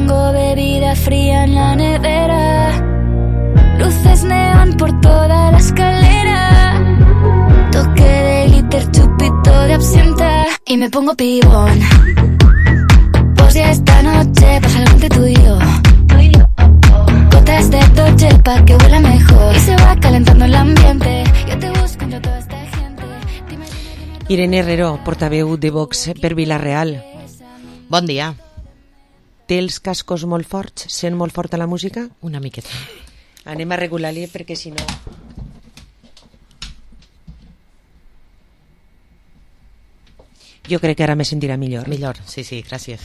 Tengo bebida fría en la nevera, luces neón por toda la escalera, toque de glitter, chupito de absenta y me pongo pibón. Pues ya esta noche pasa algo entre tú y yo. Gotas de Dolce pa' que huela mejor y se va calentando el ambiente. Yo te busco entre toda esta gente. Dime. Irene Herrero, portaveu de Vox per Vila-real. Bon dia. Té els cascos molt forts? Sent molt forta la música? Una miqueta. Anem a regular-li perquè si no... Jo crec que ara me sentirà millor. Millor, sí, gràcies.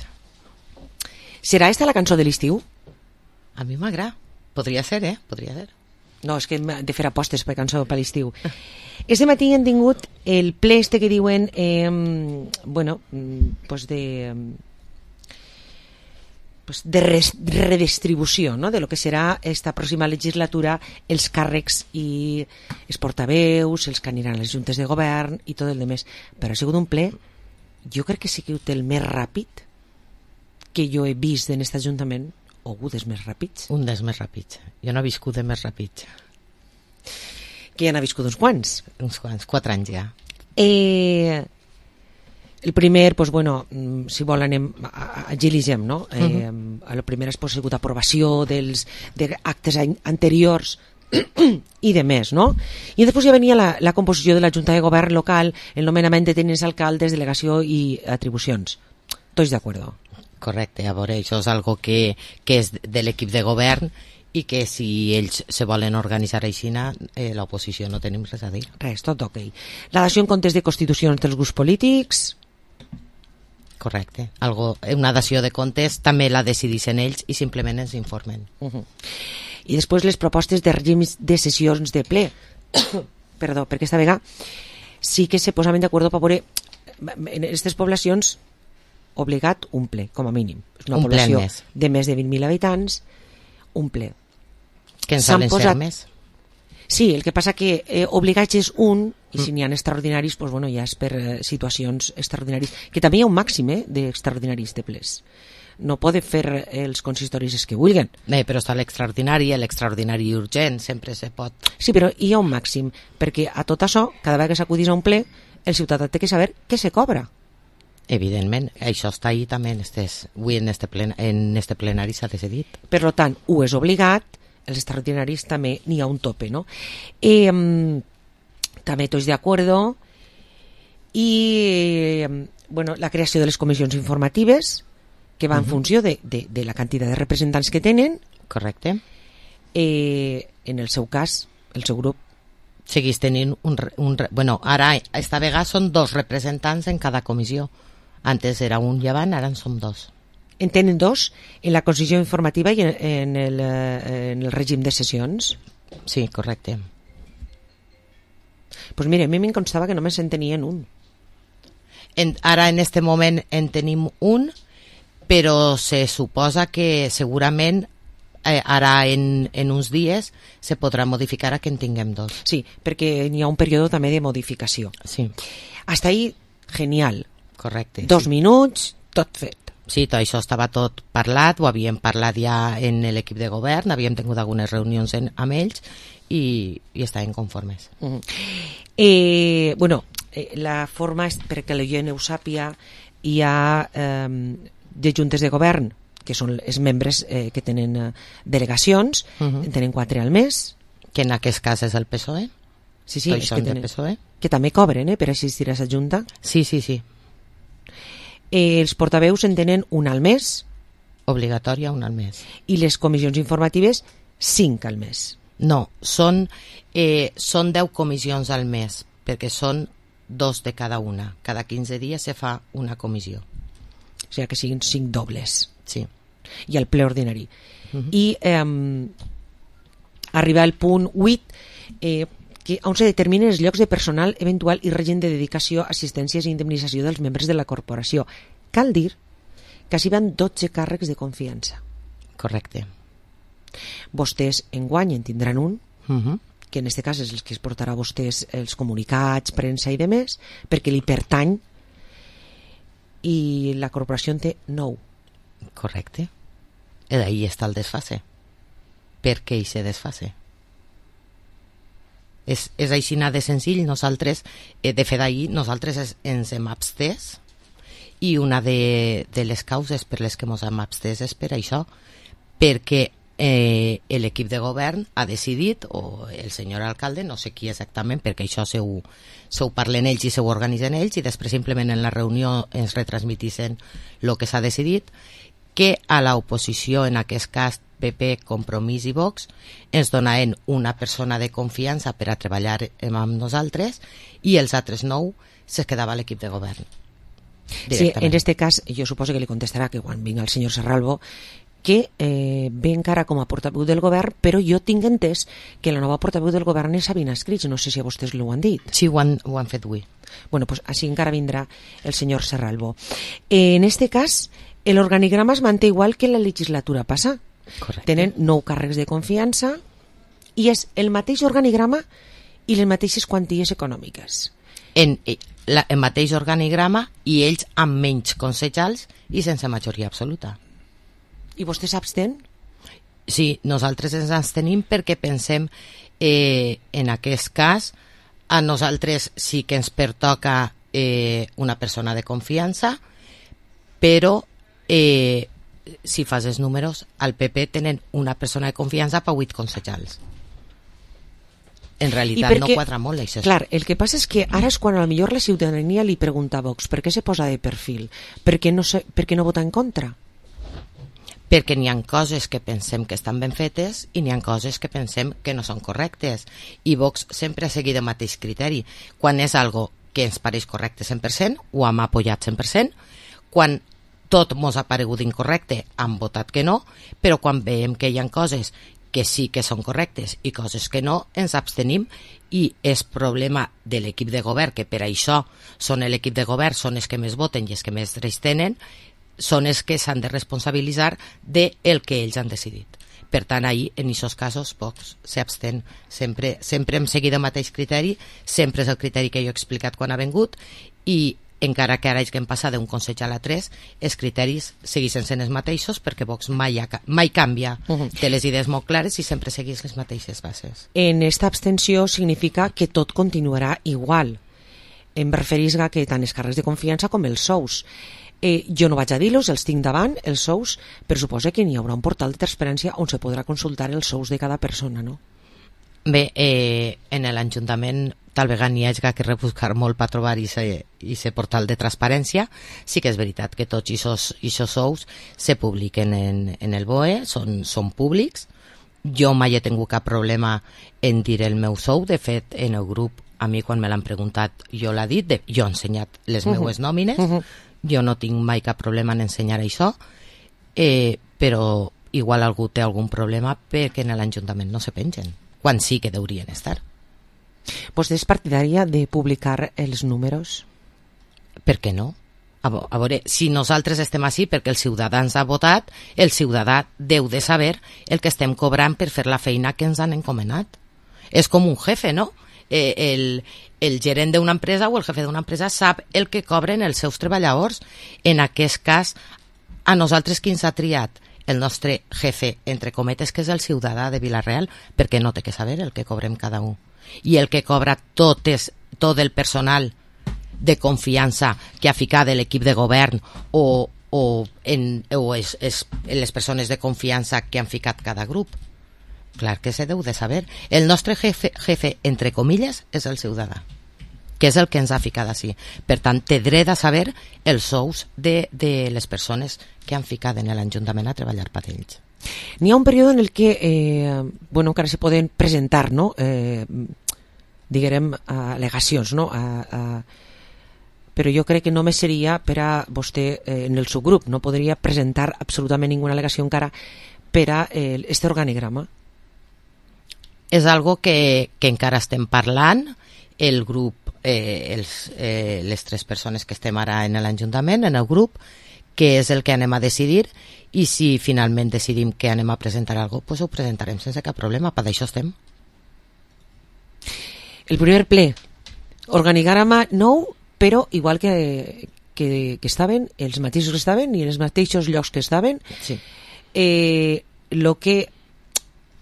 Serà esta la cançó de l'estiu? A mi m'agrada. Podria ser, Podria ser. No, és que hem de fer apostes per cançó per l'estiu. Este matí hem tingut el ple este que diuen de redistribució, no?, de lo que serà esta pròxima legislatura, els càrrecs i els portaveus, els que aniran a les juntes de govern i tot el demés. Però ha sigut un ple, jo crec que sí que el més ràpid que jo he vist en aquest ajuntament, o un dels més ràpids. Un dels més ràpids. Jo no he viscut de més ràpids. Que ja n'ha viscut uns quants. Uns quants, 4 anys ja. El primer, pues bueno, si vol anem agilitzem, no? El primer ha sigut aprovació d'actes anteriors i de més, no? I després ja venia la composició de la Junta de Govern local, el nomenament de tenents alcaldes, delegació i atribucions. Tots d'acord? Correcte, a veure, això és algo que és de l'equip de govern i que si ells se volen organitzar així, l'oposició no tenim res a dir. Res, tot ok. La dació en comptes de constitucions dels grups polítics... Correcte. Una dació de comptes també la decideixen ells i simplement ens informen. I després les propostes de règims de sessions de ple. Perdó, perquè esta vegada sí que se posaven d'acord per veure en aquestes poblacions obligat un ple, com a mínim. És una població de més de 20.000 habitants, un ple. Que en solen ser més? Sí, el que passa que obligats és un, i si n'hi ha extraordinaris, pues bueno, ja és per situacions extraordinàries, que també hi ha un màxim d'extraordinaris de plens. No poden fer els consistoris els que vulguen. Però està l'extraordinari urgent, sempre se pot... Sí, però hi ha un màxim, perquè a tot això, cada vegada que s'acudís a un ple, el ciutadà té que saber què se cobra. Evidentment, això està ahí també avui en este plenari s'ha decidit. Per tant, ho és obligat, els extraordinaris també n'hi ha un tope, no? També tots d'acord, i bueno, la creació de les comissions informatives, que va en funció de la quantitat de representants que tenen. Correcte. En el seu cas, el seu grup seguís tenint ara esta vegada són 2 representants en cada comissió. Antes era un llevant, ara en som 2. En tenen 2 en la comissió informativa i en el règim de sessions? Sí, correcte. Pues mira, a mi em constava que només en tenien un. Ara en este moment en tenim un, però se suposa que segurament ara en uns dies se podrà modificar a que en tinguem 2. Sí, perquè n'hi ha un període també de modificació. Sí. Hasta ahí, genial. Correcte. 2 minuts, tot fet. Sí, tot això estava tot parlat, ho havíem parlat ja en l'equip de govern, havíem tingut algunes reunions amb ells i estaven conformes. La forma, perquè la gent ho sàpia, hi ha de juntes de govern, que són els membres que tenen delegacions, en tenen 4 al mes. Que en aquest cas és el PSOE. Sí, és que tenen, PSOE. Que també cobren per assistir a la junta. Sí. Els portaveus en tenen un al mes. Obligatòria, un al mes. I les comissions informatives, 5 al mes. No, són 10 comissions al mes, perquè són 2 de cada una. Cada 15 dies se fa una comissió. O sigui que siguin 5 dobles. Sí. I el ple ordinari. I arriba al punt 8, on se determinen els llocs de personal eventual i règim de dedicació, assistències i indemnització dels membres de la corporació. Cal dir que s'hi van 12 càrrecs de confiança. Correcte. Vostès enguany en tindran un, que en aquest cas és el que es portarà a vostès els comunicats, premsa i demés, perquè li pertany, i la corporació en té 9. Correcte. Ahí està el desfase. Per què hi se desfase? És així de senzill. Nosaltres, de fet ahir, nosaltres ens hem abstès, i una de les causes per les que ens hem abstès és per això, perquè l'equip de govern ha decidit, o el senyor alcalde, no sé qui exactament, perquè això se ho parlen ells i se ho organitzen ells, i després simplement en la reunió ens retransmitissen el que s'ha decidit, que a l'oposició, en aquest cas PP, Compromís i Vox, ens donaven una persona de confiança per a treballar amb nosaltres, i els altres 9 se quedava a l'equip de govern. Sí, en este cas jo suposo que li contestarà que quan vinga el senyor Serralvo que ve encara com a portaveu del govern, però jo tinc entès que la nova portaveu del govern és Sabina Escrits, no sé si a vostès l'ho han dit. Sí, ho han fet avui. Bueno, pues així encara vindrà el senyor Serralvo. En este cas, l'organigrama es manté igual que la legislatura passa. Correcte. Tenen 9 càrrecs de confiança i és el mateix organigrama i les mateixes quanties econòmiques. El mateix organigrama i ells amb menys concejals i sense majoria absoluta. I vostè s'abstén? Sí, nosaltres ens abstenim perquè pensem, en aquest cas, a nosaltres sí que ens pertoca una persona de confiança, però si fas els números, al PP tenen una persona de confiança per 8 concejals. En realitat no quadra molt això. Clar, el que passa és que ara és quan a lo millor la ciutadania li pregunta a Vox per què se posa de perfil, per què no vota en contra? Perquè n'hi ha coses que pensem que estan ben fetes i n'hi ha coses que pensem que no són correctes, i Vox sempre ha seguit el mateix criteri. Quan és algo que ens pareix correcte 100%, ho hem apoyat 100%, quan tot mos ha paregut incorrecte hem votat que no, però quan veiem que hi ha coses que sí que són correctes i coses que no, ens abstenim, i és problema de l'equip de govern, que per això són l'equip de govern, són els que més voten i els que més drets tenen, són els que s'han de responsabilitzar del que ells han decidit. Per tant, ahir, en aquests casos, Vox s'abstén. Sempre hem seguit el mateix criteri, sempre és el criteri que jo he explicat quan ha vengut, i encara que ara hagin passat d'un concejal a 3, els criteris segueixen sent els mateixos, perquè Vox mai canvia, té les idees molt clares i sempre segueix les mateixes bases. En esta abstenció significa que tot continuarà igual. Em referís a que tant els càrrecs de confiança com els sous. Jo no vaig a dir-los, els tinc davant, els sous, però suposa que n'hi haurà un portal de transparència on se podrà consultar els sous de cada persona, no? Bé, en l'Ajuntament tal vegada n'hi hagi que rebuscar molt per trobar aquest portal de transparència. Sí que és veritat que tots aquests sous se publiquen en el BOE, són públics. Jo mai he tingut cap problema en dir el meu sou. De fet, en el grup, a mi quan me l'han preguntat, jo l'he dit, jo he ensenyat les meues nòmines, jo no tinc mai cap problema en ensenyar això, però igual algú té algun problema perquè en l'Ajuntament no se pengen, quan sí que deurien estar. Vostè és partidària de publicar els números? Per què no? A veure, si nosaltres estem així perquè els ciutadans han votat, el ciutadà deu de saber el que estem cobrant per fer la feina que ens han encomanat. És com un jefe, no? El gerent d'una empresa o el jefe d'una empresa sap el que cobren els seus treballadors. En aquest cas, a nosaltres qui ens ha triat? El nostre jefe, entre cometes, que és el ciutadà de Vila-real, perquè no té que saber el que cobrem cada un. I el que cobra tot el personal de confiança que ha ficat de l'equip de govern o les persones de confiança que han ficat cada grup. Clar que se deu de saber. El nostre jefe, entre comilles, és el ciutadà, que és el que ens ha ficat així. Per tant, té dret a saber els sous de les persones que han ficat en l'Ajuntament a treballar per ells. N'hi ha un període en el que encara se poden presentar, no? Diguem, al·legacions, no? Però jo crec que només seria per a vostè en el subgrup, no podria presentar absolutament ninguna al·legació encara per a este organigrama. És algo que encara estem parlant, el grup, les 3 persones que estem ara en l'Ajuntament, en el grup, que és el que anem a decidir, i si finalment decidim que anem a presentar alguna cosa, ho presentarem sense cap problema, per això estem. El primer ple, organigrama nou, però igual que estaven, els mateixos que estaven i en els mateixos llocs que estaven. Sí. Lo que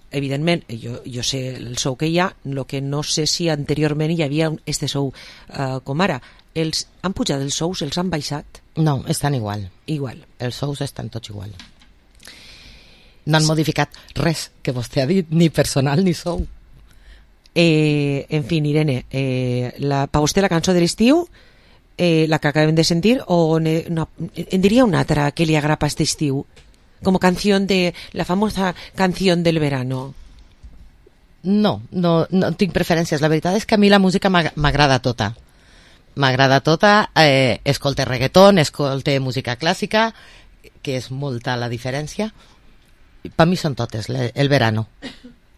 evidentment, jo sé el sou que hi ha, el que no sé si anteriorment hi havia este sou com ara. Han pujat els sous, els han baixat? No, estan igual. Igual. Els sous estan tots igual. No han modificat res que vostè ha dit, ni personal ni sou. En fi, Irene, per vostè la cançó de l'estiu, la que acabem de sentir, o en diria una altra que li agrapa este estiu? Como canción de la famosa canción del verano. No tinc preferències. La veritat és que a mi la música m'agrada tota. M'agrada tota. Escolte reggaeton, escolte música clàssica, que és molta la diferència. Per mi són totes, el verano.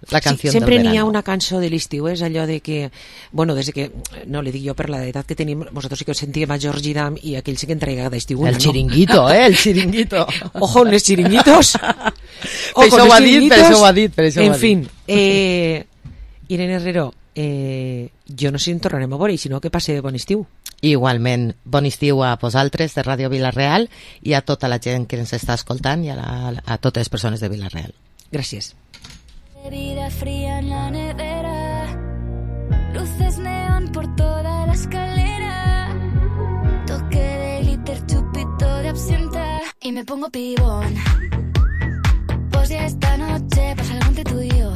La canció sempre del verano. n'hi ha una cançó de l'estiu, és allò de que, bueno, des que, no li dic jo per l'edat que tenim, vosaltres sí que us sentíem a Georgie Dam i aquell sí que entrega d'estiu. El chiringuito, el chiringuito. Ojo, los chiringuitos. Per això ho ha dit. En fin, Irene Herrero, jo no sé si en tornarem a veure, i si no, que passe bon estiu. Igualment, bon estiu a vosaltres de Ràdio Vila-real i a tota la gent que ens està escoltant i a totes les persones de Vila-real. Gràcies. Bebida fría en la nevera, luces neón por toda la escalera, toque de glitter, chupito de absenta y me pongo pibón. Pues ya esta noche pasa algo entre tú y yo.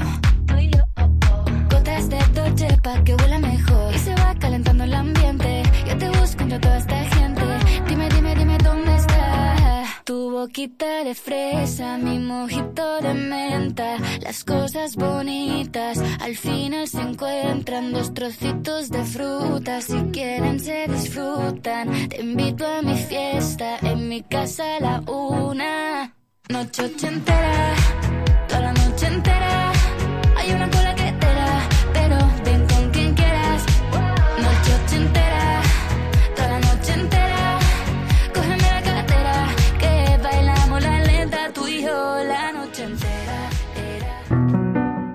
Gotas de Dolce pa' que huela mejor y se va calentando el ambiente. Yo te busco entre toda esta gente. Dime dónde está tu boquita de fresa, mi mojito de menta. Las cosas bonitas al final se encuentran, dos trocitos de fruta, si quieren se disfrutan. Te invito a mi fiesta, en mi casa a la 1. Noche ochentera, toda la noche entera. Hay una cola que te da, pero ven con quien quieras. Noche ochentera, toda la noche entera. Cógeme la cartera, que bailamos la lenta, tú y yo la noche entera.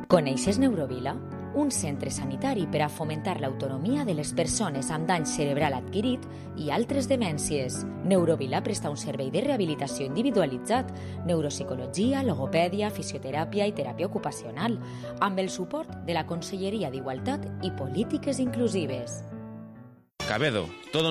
Coneixes Neurovila? Un centre sanitari per a fomentar l'autonomia de les persones amb dany cerebral adquirit i altres demències. Neurovila presta un servei de rehabilitació individualitzat, neuropsicologia, logopèdia, fisioteràpia i teràpia ocupacional, amb el suport de la Conselleria d'Igualtat i Polítiques Inclusives. Cabedo, todo